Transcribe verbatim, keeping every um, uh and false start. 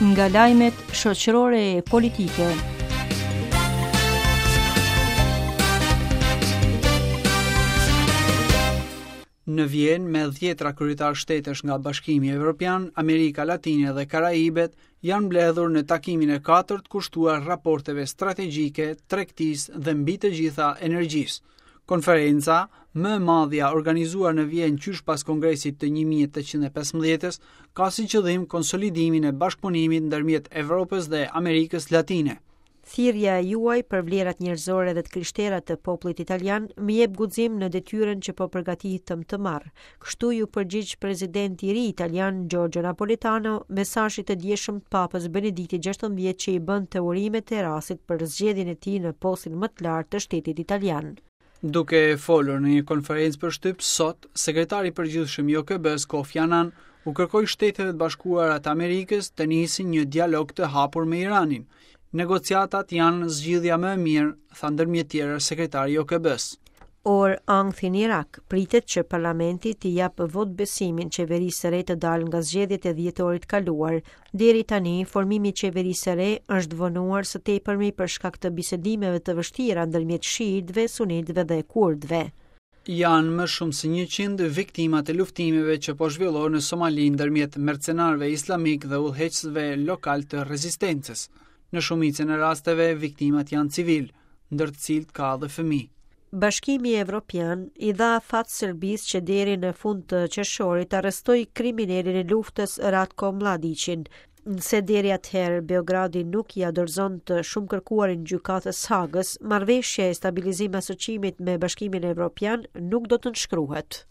Nga lajmet shoqërore e politike. Në Vjenë, me dhjetra kryetar shtetesh nga Bashkimi Evropian, Amerika Latine dhe Karaibet janë mbledhur në takimin e katërt kushtuar raporteve strategjike, tregtisë dhe mbi të gjitha energjisë. Konferenca, më e madhja organizuar në Vjenë qysh pas Kongresit të një mijë e tetëqind e pesëmbëdhjetës, ka si qëllim konsolidimin e bashkëpunimit ndërmjet Evropës dhe Amerikës Latine. "Thirrja e juaj për vlerat njerëzore dhe të krishtera të popullit italian më jep guxim në detyrën që po përgatitem të marr." Kështu iu përgjigj presidenti i ri italian Giorgio Napolitano mesazhit të djeshëm të Papës Benedikti gjashtëmbëdhjetë, që i bënte urimet e rastit për zgjedhjen e tij në postin më të lartë të shtetit italian. Duke folur në një konferencë për shtyp sot, sekretari i përgjithshëm i O K B-s Kofi Annan u kërkoi Shteteve të Bashkuara të Amerikës të nisin një dialog të hapur me Iranin. "Negociatat janë zgjidhja më e mirë", tha ndërmjet tjera sekretari i O K B-s. Orë ankthi në Irak, pritet që parlamenti t'i japë vot besimin qeverisë së re të dalë nga zgjedhjet e dhjetorit kaluar. Deri tani, formimi i qeverisë së re është vonuar së tepërmi për shkak të bisedimeve të vështira ndërmjet shiitëve, sunitëve dhe kurdëve. Janë më shumë se njëqind viktimat e luftimeve që po zhvillohen në Somali ndërmjet mercenarëve islamik dhe udhëheqësve lokal të rezistencës. Në shumicën e rasteve, viktimat janë civil, ndër të cilët ka edhe fëmijë. Bashkimi Evropian i dha afat Serbisë që deri në fund të qershorit arrestoj kriminelin e luftës Ratko Mladiqin. Nëse deri atëherë Beogradi nuk ia dorëzon të shumë kërkuarin gjykatës Hagës, marrëveshja e stabilizim asociimit me Bashkimin Evropian nuk do të nënshkruhet.